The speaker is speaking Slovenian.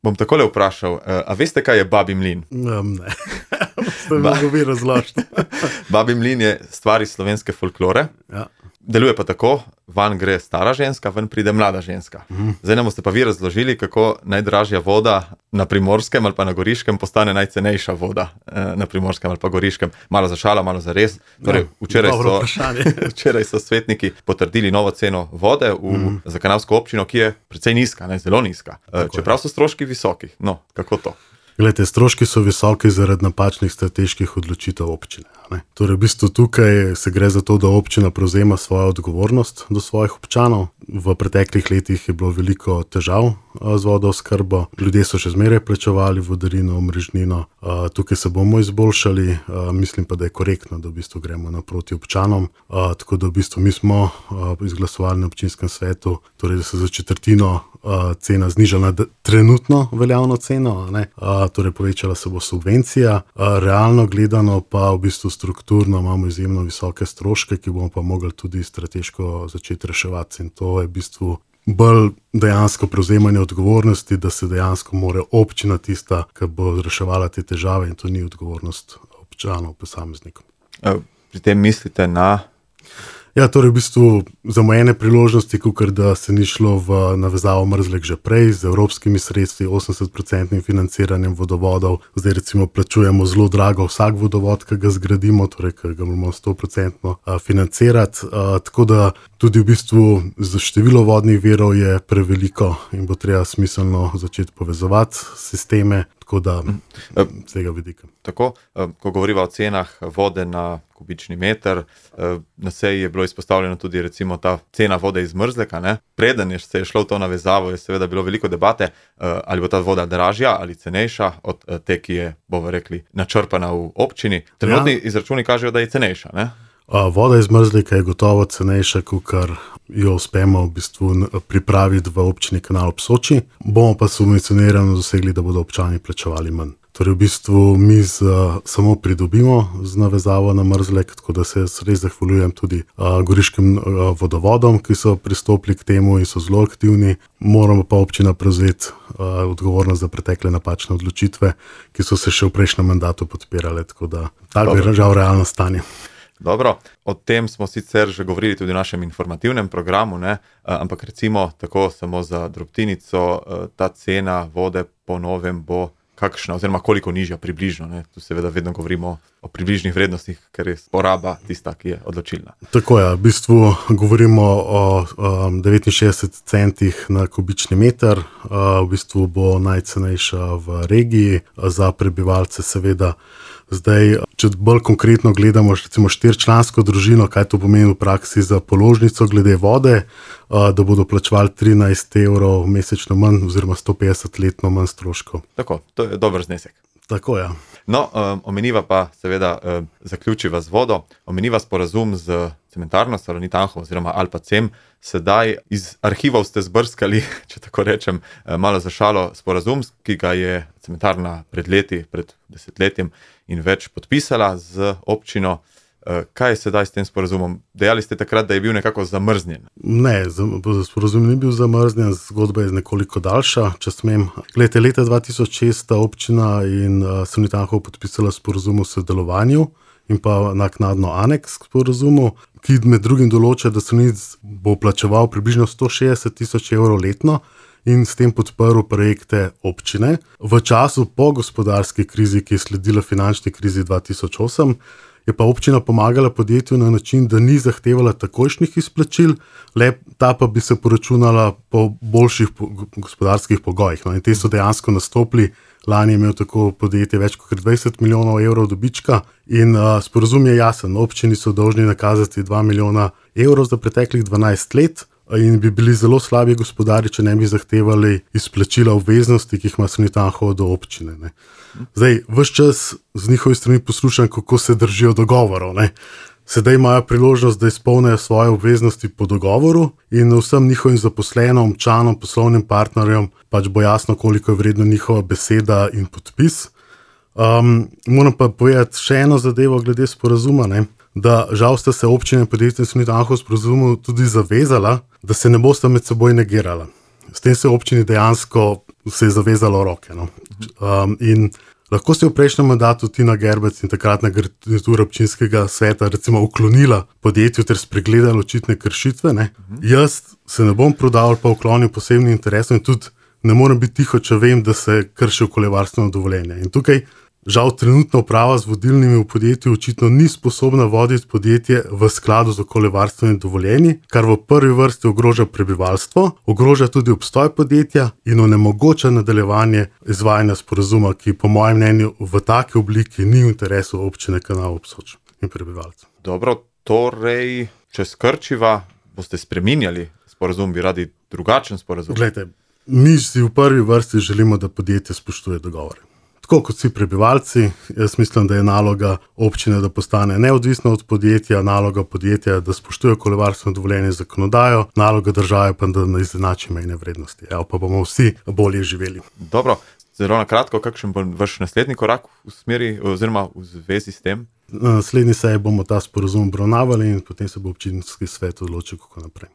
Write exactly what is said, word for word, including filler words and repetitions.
Bom takole vprašal, a veste, kaj je Babji mlin? Um, ne, ste mi govi razložiti. Babji mlin je stvar iz slovenske folklore. Ja. Deluje pa tako, van gre stara ženska, ven pride mlada ženska. Mm. Zdaj nam boste pa vi razložili, kako najdražja voda na Primorskem ali pa na Goriškem postane najcenejša voda na Primorskem ali pa Goriškem. Malo za šalo, malo za res. Torej, včeraj, so, včeraj so svetniki potrdili novo ceno vode v, mm. za kanalsko občino, ki je precej nizka, ne, zelo nizka. Tako Čeprav je. so stroški visoki. No, kako to? Glede, stroški so visoki zaradi napačnih strateških odločitev občine. Ne? Torej, v bistvu tukaj se gre za to, da občina prevzema svojo odgovornost do svojih občanov. V preteklih letih je bilo veliko težav z vodooskrbo. Ljudje so še zmeraj plačevali vodarino, omrežnino. Tukaj se bomo izboljšali. Mislim pa, da je korektno, da v bistvu gremo naproti občanom. Tako da v bistvu mi smo izglasovali na občinskem svetu, torej, da se za četrtino cena znižala na trenutno veljavno ceno, ne? Torej povečala se bo subvencija. Realno gledano pa v bistvu strukturno imamo izjemno visoke stroške, ki bomo pa mogli tudi strateško začeti reševati. In to je v bistvu bolj dejansko prevzemanje odgovornosti, da se dejansko mora občina tista, ki bo reševala te težave, in to ni odgovornost občanov, posameznikov. Pri tem mislite na... Ja, torej v bistvu zamujene priložnosti, kakor da se ni šlo v navezavo Mrzlek že prej, z evropskimi sredstvi, osemdeset procentnim financiranjem vodovodov. Zdaj recimo plačujemo zelo drago vsak vodovod, ki ga zgradimo, torej ki ga moramo sto procentno financirati. Tako da tudi v bistvu za število vodnih virov je preveliko in bo treba smiselno začeti povezovati sisteme, tako da z tega vidika. Tako, ko govoriva o cenah vode na kubični meter, na seji je bilo izpostavljeno tudi recimo ta cena vode iz Mrzleka, ne? Preden je se je šlo v to navezavo, je seveda bilo veliko debate, ali bo ta voda dražja ali cenejša od te, ki je, bomo rekli, načrpana v občini. Trenutni ja. izračuni kažejo, da je cenejša, ne? Voda iz Mrzleka je gotovo cenejša, kakor jo uspemo v bistvu pripraviti v občini Kanal ob Soči. Bomo pa subvencionirano dosegli, da bodo občani plačevali manj. Torej v bistvu mi z, samo pridobimo z navezavo na Mrzlek, tako da se res zahvaljujem tudi a, goriškim a, vodovodom, ki so pristopili k temu in so zelo aktivni. Moramo pa občina prevzeti a, odgovornost za pretekle napačne odločitve, ki so se še v prejšnjem mandatu podpirale, tako da tako je žal realno stanje. Dobro, o tem smo sicer že govorili tudi v našem informativnem programu, ne? Ampak recimo tako samo za drobtinico, ta cena vode po novem bo kakšna, oziroma koliko nižja približno, ne? Tu seveda vedno govorimo o približnih vrednostih, ker je poraba tista, ki je odločilna. Tako je, v bistvu govorimo o um, devetinšestdeset centih na kubični meter, uh, v bistvu bo najcenejša v regiji, za prebivalce seveda. Zdaj, če bolj konkretno gledamo recimo štirčlansko družino, kaj to pomeni v praksi za položnico glede vode, da bodo plačevali trinajst evrov mesečno manj oziroma sto petdeset letno manj stroškov. Tako, to je dober znesek. Tako je. No, um, omeniva pa seveda um, zaključiva z vodo, omeniva sporazum z cementarno Salonit Anhovo oziroma Alpa Cem. Sedaj iz arhivov ste zbrskali, če tako rečem, malo za šalo, sporazum, ki ga je cementarna pred leti, pred desetletjem in več podpisala z občino. Kaj je sedaj s tem sporazumom? Dejali ste takrat, da je bil nekako zamrznjen. Ne, sporazum ni bil zamrznjen, zgodba je nekoliko daljša, če smem. Glede, leta dva tisoč šest sta občina in Salonit Anhovo podpisala sporazum o sodelovanju in pa naknadno aneks k sporazumu, ki med drugim določa, da Salonit bo plačeval približno sto šestdeset tisoč evrov letno in s tem podprl projekte občine. V času po gospodarski krizi, ki je sledila finančni krizi dva tisoč osem, je pa občina pomagala podjetju na način, da ni zahtevala takojšnjih izplačil, le ta pa bi se poračunala po boljših gospodarskih pogojih. No, in te so dejansko nastopili. Lani je imel tako podjetje več kot dvajset milijonov evrov dobička in uh, sporazum je jasen. Občini so dolžni nakazati dva milijona evrov za preteklih dvanajst let in bi bili zelo slabi gospodari, če ne bi zahtevali izplačila obveznosti, ki jih ima Salonit Anhovo do občine. Ne. Zdaj, ves čas z njihovi strani poslušam, kako se držijo dogovorov. Ne. Sedaj imajo priložnost, da izpolnijo svoje obveznosti po dogovoru in vsem njihovim zaposlenom, občanom, poslovnim partnerjem pač bo jasno, koliko je vredna njihova beseda in podpis. Um, moram pa povedati še eno zadevo glede sporazuma, ne? Da žal sta se občine in podjetje Salonit Anhovo sporazumu tudi zavezala, da se ne bosta med seboj negirala. S tem se občini dejansko se je zavezalo roke. No. Um, in lahko se je v prejšnjem mandatu Tina Gerbec in takratna garnitura občinskega sveta recimo uklonila podjetju ter spregledala očitne kršitve. Ne. Jaz se ne bom prodal pa uklonil posebnim interesom in tudi ne morem biti tiho, če vem, da se krši okoljevarstveno dovoljenje. In tukaj žal trenutna uprava z vodilnimi v podjetju očitno ni sposobna voditi podjetje v skladu z okoljevarstvenimi dovoljenji, kar v prvi vrsti ogroža prebivalstvo, ogroža tudi obstoj podjetja in onemogoča nadaljevanje izvajanja sporazuma, ki po mojem mnenju v taki obliki ni v interesu občine Kanal ob Soči in prebivalcev. Dobro, torej, če skrčiva, boste spreminjali sporazum, bi radi drugačen sporazum? Glejte, mi si v prvi vrsti želimo, da podjetje spoštuje dogovore. Tako kot vsi prebivalci, jaz mislim, da je naloga občine, da postane neodvisna od podjetja, naloga podjetja, da spoštuje okoljevarstveno dovoljenje zakonodajo, naloga države pa, da ne izenači mejne vrednosti. Evo, pa bomo vsi bolje živeli. Dobro, zelo na kratko, kakšen bo vaš naslednji korak v smeri oziroma v zvezi s tem? Na naslednji seji bomo ta sporazum obravnavali in potem se bo občinski svet odločil, kako naprej.